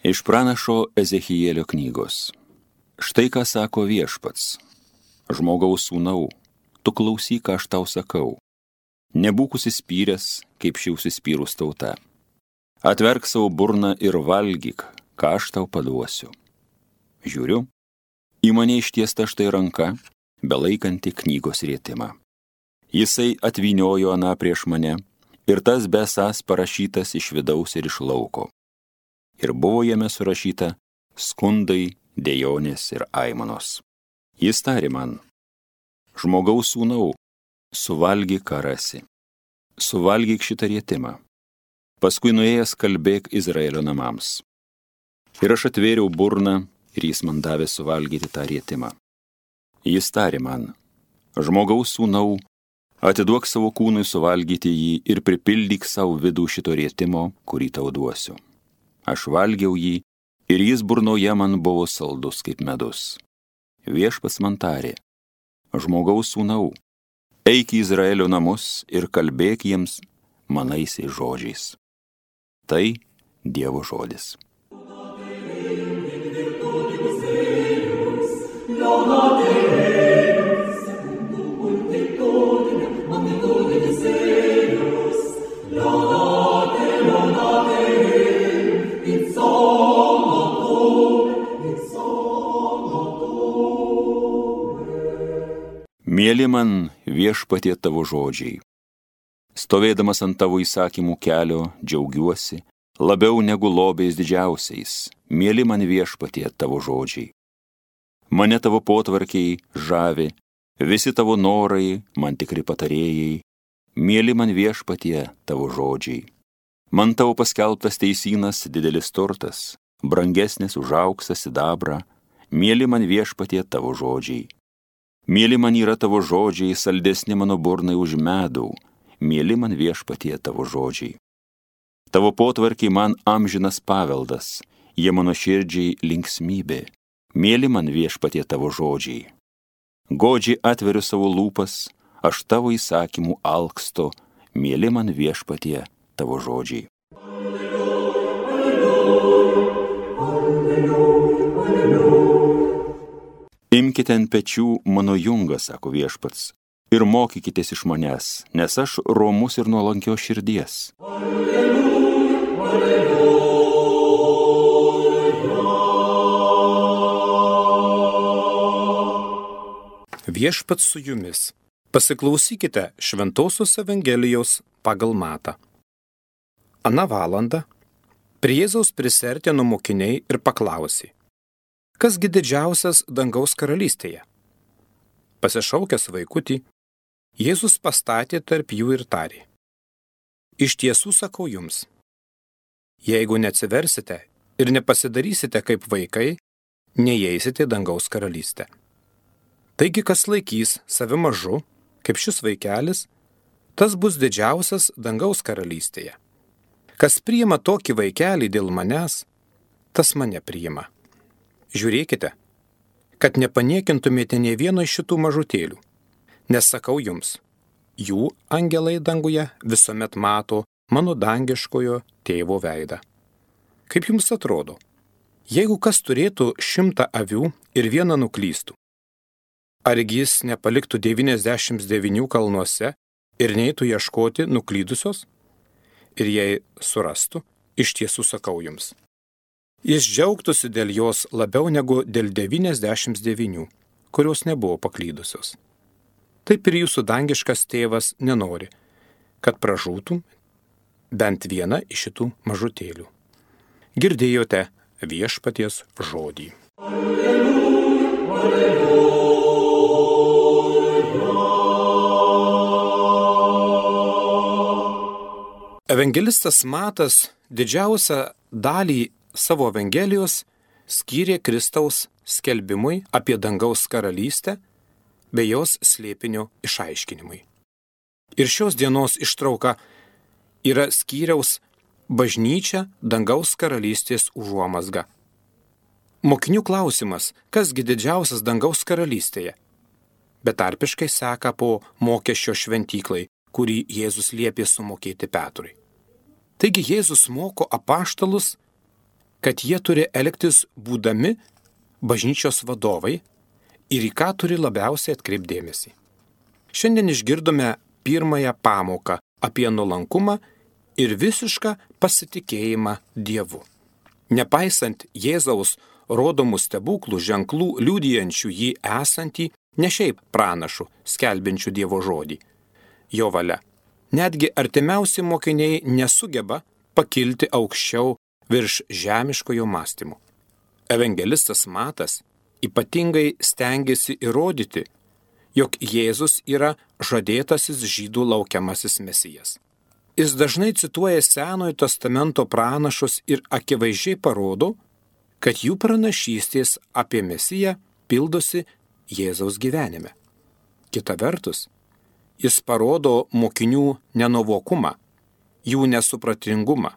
Iš pranašo Ezechielio knygos. Štai ką sako Viešpats. Žmogaus sūnau, tu klausyk, ką aš tau sakau. Nebūk užsispyręs, kaip ši užsispyrus tauta. Atverk savo burną ir valgyk, ką aš tau paduosiu. Žiūriu, į mane ištiesta štai ranka, belaikanti knygos rėtimą. Jisai atvyniojo aną prieš mane, ir tas besąs parašytas iš vidaus ir iš lauko. Ir buvo jame surašyta skundai, dejonės ir aimanos. Jis tarė man, žmogaus sūnau, suvalgyk, ką rasi. Suvalgyk šitą rėtimą. Paskui nuėjęs kalbėk Izraelio namams. Ir aš atvėriau burną, ir jis man davė suvalgyti tą rėtimą. Jis tarė man, žmogaus sūnau, atiduok savo kūnui suvalgyti jį ir pripildyk savo vidų šito rėtimo, kurį tau duosiu. Aš valgiau jį, ir jis burnoje man buvo saldus kaip medus. Viešpats man tarė, žmogaus sūnau, eik į Izraelio namus ir kalbėk jiems manaisiais žodžiais. Tai Dievo žodis. Mėly man Viešpatie tavo žodžiai. Stovėdamas ant tavo įsakymų kelio, džiaugiuosi, labiau negu lobiais didžiausiais. Mėly man Viešpatie tavo žodžiai. Mane tavo potvarkiai žavi, visi tavo norai man tikri patarėjai. Mėly man Viešpatie tavo žodžiai. Man tavo paskelbtas teisynas didelis turtas, brangesnis už auksą sidabrą. Mėly man Viešpatie tavo žodžiai. Mėly man yra tavo žodžiai, saldesni mano burnai už medų. Mėly man Viešpatie tavo žodžiai. Tavo potvarkiai man amžinas paveldas, jie mano širdžiai linksmybė. Mėly man Viešpatie tavo žodžiai. Godžiai atveriu savo lūpas, aš tavo įsakymų alksto. Mėly man Viešpatie tavo žodžiai. Imkite ant pečių mano jungą, sako Viešpats, ir mokykitės iš manęs, nes aš romus ir nuolankios širdies. Viešpats su jumis. Pasiklausykite Šventosios Evangelijos pagal Matą. Aną valandą prie Jėzaus prisiartino mokiniai ir paklausė, kasgi didžiausias dangaus karalystėje? Pasišaukęs vaikutį, Jėzus pastatė tarp jų ir tarė, iš tiesų sakau jums, jeigu neatsiversite ir nepasidarysite kaip vaikai, neįeisite dangaus karalystę. Taigi, kas laikys save mažu, kaip šis vaikelis, tas bus didžiausias dangaus karalystėje. Kas priima tokį vaikelį dėl manęs, tas mane priima. Žiūrėkite, kad nepaniekintumėte nė vieno iš šitų mažutėlių, nes sakau jums, jų angelai danguje visuomet mato mano dangiškojo tėvo veidą. Kaip jums atrodo, jeigu kas turėtų 100 avių ir vieną nuklystų, argi jis nepaliktų 99 kalnuose ir neitų ieškoti nuklydusios? Ir jei surastų, iš tiesų sakau jums, jis džiaugtųsi dėl jos labiau negu dėl 99, kurios nebuvo paklydusios. Taip ir jūsų dangiškas tėvas nenori, kad pražūtų bent viena iš šitų mažutėlių. Girdėjote Viešpaties žodį. Alleluja, alleluja. Evangelistas Matas didžiausią dalį savo Evangelijos skyrė Kristaus skelbimui apie dangaus karalystę bei jos slėpinio išaiškinimui. Ir šios dienos ištrauka yra skyriaus bažnyčia dangaus karalystės užuomazga. Mokinių klausimas, kasgi didžiausias dangaus karalystėje, betarpiškai seka po mokesčio šventyklai, kurį Jėzus liepė sumokėti Petrui. Taigi Jėzus moko apaštalus kad jie turi elgtis būdami bažnyčios vadovai ir į ką turi labiausiai atkreipdėmėsi. Šiandien išgirdome pirmąją pamoką apie nuolankumą ir visišką pasitikėjimą Dievu. Nepaisant Jėzaus rodomų stebuklų ženklų liudijančių jį esantį, ne šiaip pranašų, skelbiančių Dievo žodį, jo valia. Netgi artimiausi mokiniai nesugeba pakilti aukščiau virš žemiškojo mąstymo. Evangelistas Matas ypatingai stengiasi įrodyti, jog Jėzus yra žadėtasis žydų laukiamasis mesijas. Jis dažnai cituoja Senojo testamento pranašus ir akivaizdžiai parodo, kad jų pranašystės apie mesiją pildosi Jėzaus gyvenime. Kita vertus, jis parodo mokinių nenuovokumą, jų nesupratingumą.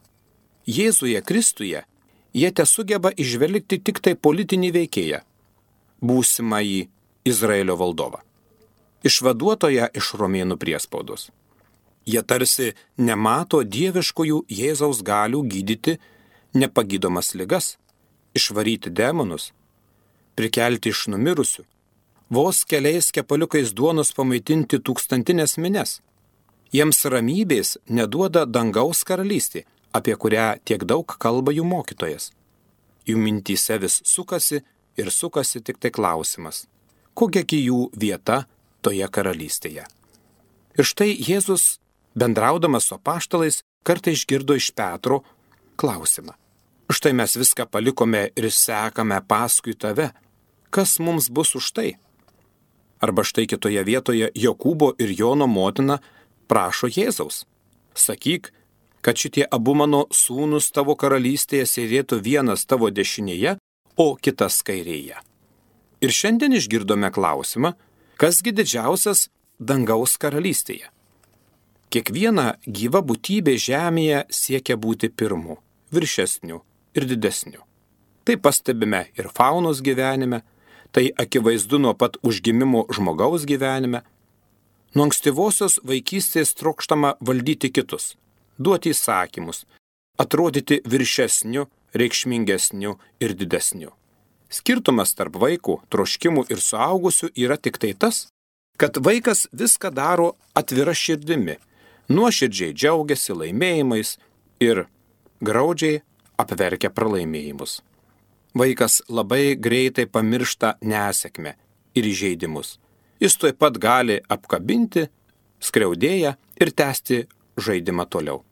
Jėzuje Kristuje jie tesugeba įžvelgti tik tai politinį veikėją, būsimąjį Izraelio valdovą, išvaduotoją iš romėnų priespaudos. Jie tarsi nemato dieviškųjų Jėzaus galių gydyti nepagydomas ligas, išvaryti demonus, prikelti iš numirusių, vos keliais kepaliukais duonos pamaitinti tūkstantinės minias. Jiems ramybės neduoda dangaus karalystė, apie kurią tiek daug kalba jų mokytojas. Jų mintyse vis sukasi ir sukasi tik tai klausimas, kokiagi jų vieta toje karalystėje. Ir štai Jėzus, bendraudamas su apaštalais, kartą išgirdo iš Petro klausimą. Štai mes viską palikome ir sekame paskui tave. Kas mums bus už tai? Arba štai kitoje vietoje Jokūbo ir Jono motina prašo Jėzaus. Sakyk, kad šitie abu mano sūnus tavo karalystėje sėdėtų vienas tavo dešinėje, o kitas kairėje. Ir šiandien išgirdome klausimą, kasgi didžiausias dangaus karalystėje. Kiekviena gyva būtybė žemėje siekia būti pirmu, viršesniu ir didesniu. Tai pastebime ir faunos gyvenime, tai akivaizdu nuo pat užgimimo žmogaus gyvenime. Nuo ankstyvosios vaikystės trokštama valdyti kitus, duoti įsakymus, atrodyti viršesniu, reikšmingesniu ir didesniu. Skirtumas tarp vaikų, troškimų ir suaugusių yra tik tai tas, kad vaikas viską daro atvira širdimi, nuoširdžiai džiaugiasi laimėjimais ir graudžiai apverkia pralaimėjimus. Vaikas labai greitai pamiršta nesėkmę ir įžeidimus. Jis tuoj pat gali apkabinti skriaudėją ir tęsti žaidimą toliau.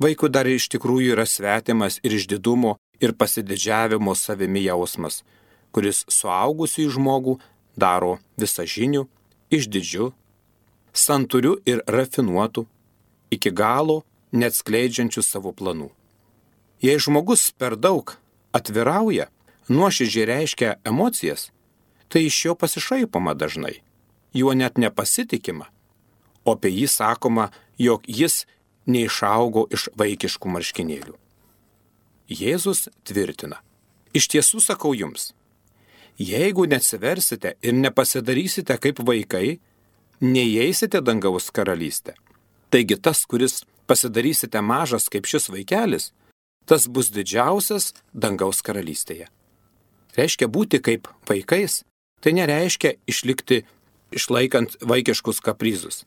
Vaikui dar iš tikrųjų yra svetimas ir išdidumo ir pasididžiavimo savimi jausmas, kuris suaugusių žmogų daro visažinių, išdidžių, santūrių ir rafinuotų, iki galo neatskleidžiančių savo planų. Jei žmogus per daug atvirauja, nuoširdžiai reiškia emocijas, tai iš jo pasišaipoma dažnai, juo net nepasitikima, o apie jį sakoma, jog jis neišaugo iš vaikiškų marškinėlių. Jėzus tvirtina, iš tiesų sakau jums, jeigu neatsiversite ir nepasidarysite kaip vaikai, neįeisite dangaus karalystę. Taigi tas, kuris pasidarysite mažas kaip šis vaikelis, tas bus didžiausias dangaus karalystėje. Reiškia būti kaip vaikais, tai nereiškia išlikti išlaikant vaikiškus kaprizus,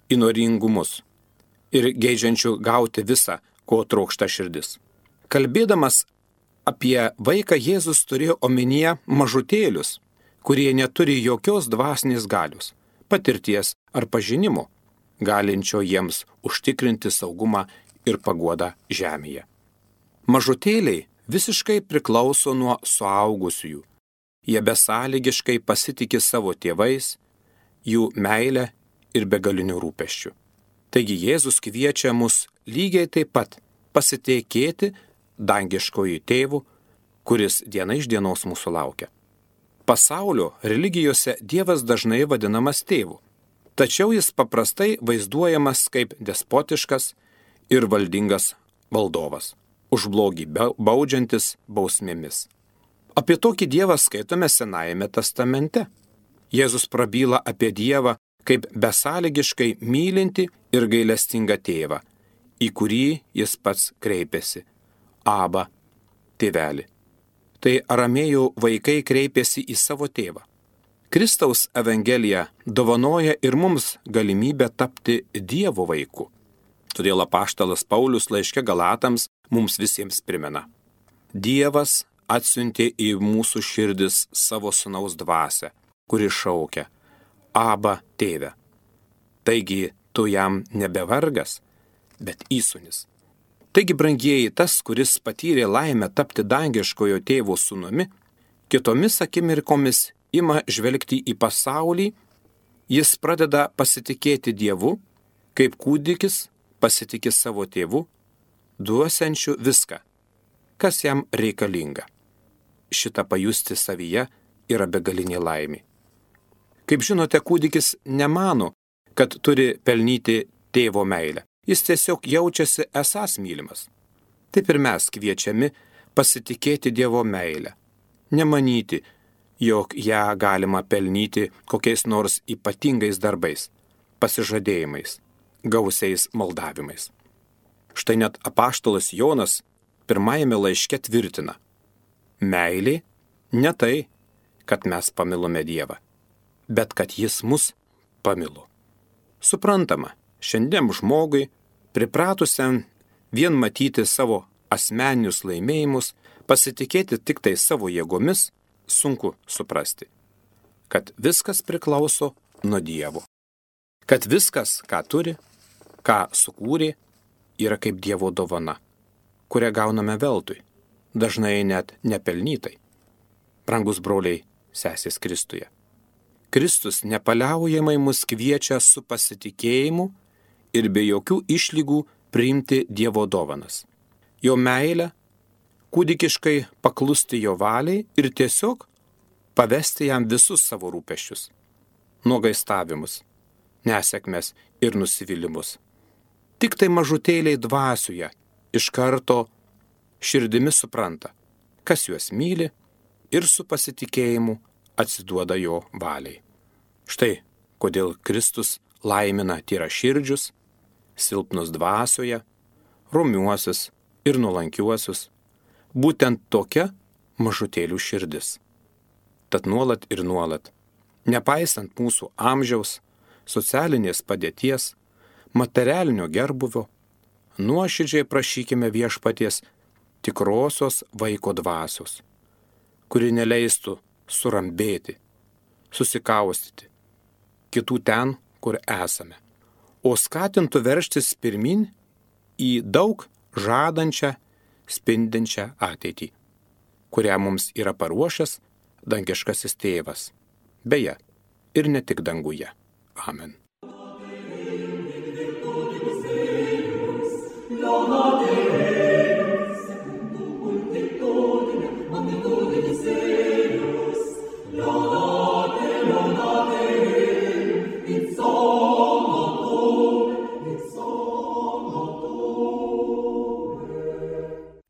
įnoringumus ir geidžiančių gauti visą, ko trokšta širdis. Kalbėdamas apie vaiką, Jėzus turėjo omenyje mažutėlius, kurie neturi jokios dvasinės galios, patirties ar pažinimo, galinčio jiems užtikrinti saugumą ir paguodą žemėje. Mažutėliai visiškai priklauso nuo suaugusiųjų. Jie besąlygiškai pasitiki savo tėvais, jų meilę ir begalinių rūpesčių. Taigi Jėzus kviečia mus lygiai taip pat pasitikėti dangiškojų tėvų, kuris diena iš dienos mūsų laukia. Pasaulio religijose Dievas dažnai vadinamas tėvu, tačiau jis paprastai vaizduojamas kaip despotiškas ir valdingas valdovas, už blogį baudžiantis bausmėmis. Apie tokį Dievą skaitome Senajame testamente. Jėzus prabyla apie Dievą kaip besąlygiškai mylinti ir gailestingą tėvą, į kurį jis pats kreipiasi. Aba, tėvelį. Tai aramėjų vaikai kreipėsi į savo tėvą. Kristaus Evangelija dovanoja ir mums galimybę tapti Dievo vaiku. Todėl apaštalas Paulius laiške Galatams mums visiems primena. Dievas atsiuntė į mūsų širdis savo sūnaus dvasią, kuri šaukia: Aba, tėve. Taigi tu jam nebe vargas, bet įsūnis. Taigi, brangieji, tas, kuris patyrė laimę tapti dangiškojo tėvo sūnumi, kitomis akimirkomis ima žvelgti į pasaulį, jis pradeda pasitikėti Dievu, kaip kūdikis pasitikė savo tėvu, duosiančiu viską, kas jam reikalinga. Šitą pajusti savyje yra begalinė laimė. Kaip žinote, kūdikis nemano, kad turi pelnyti tėvo meilę. Jis tiesiog jaučiasi esąs mylimas. Taip ir mes kviečiami pasitikėti Dievo meilę. Nemanyti, jog ją galima pelnyti kokiais nors ypatingais darbais, pasižadėjimais, gausiais maldavimais. Štai net apaštalas Jonas pirmajame laiške tvirtina: meilė ne tai, kad mes pamilome Dievą, bet kad jis mus pamilo. Suprantama, šiandien žmogui, pripratusiam vien matyti savo asmeninius laimėjimus, pasitikėti tik tai savo jėgomis, sunku suprasti, kad viskas priklauso nuo Dievo. Kad viskas, ką turi, ką sukūrė, yra kaip Dievo dovana, kurią gauname veltui, dažnai net nepelnytai. Brangus broliai, sesės Kristuje. Kristus nepaliaujamai mus kviečia su pasitikėjimu ir be jokių išlygų priimti Dievo dovanas. Jo meilę, kūdikiškai paklusti jo valiai ir tiesiog pavesti jam visus savo rūpesčius, nuogaistavimus, nesėkmes ir nusivylimus. Tik tai mažutėliai dvasioje iš karto širdimi supranta, kas juos myli ir su pasitikėjimu atsiduoda jo valiai. Štai kodėl Kristus laimina tyraširdžius, silpnus dvasioje, romiuosius ir nuolankiuosius, būtent tokia mažutėlių širdis. Tad nuolat ir nuolat, nepaisant mūsų amžiaus, socialinės padėties, materialinio gerbuvio, nuoširdžiai prašykime Viešpaties tikrosios vaiko dvasios, kuri neleistų surambėti, susikaustyti kitų ten, kur esame, o skatintų veržtis pirmin į daug žadančią, spindinčią ateitį, kurią mums yra paruošęs dangiškasis tėvas, beje, ir ne tik danguje. Amen.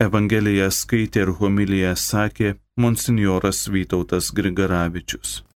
Evangeliją skaitė ir homiliją sakė monsinjoras Vytautas Grigaravičius.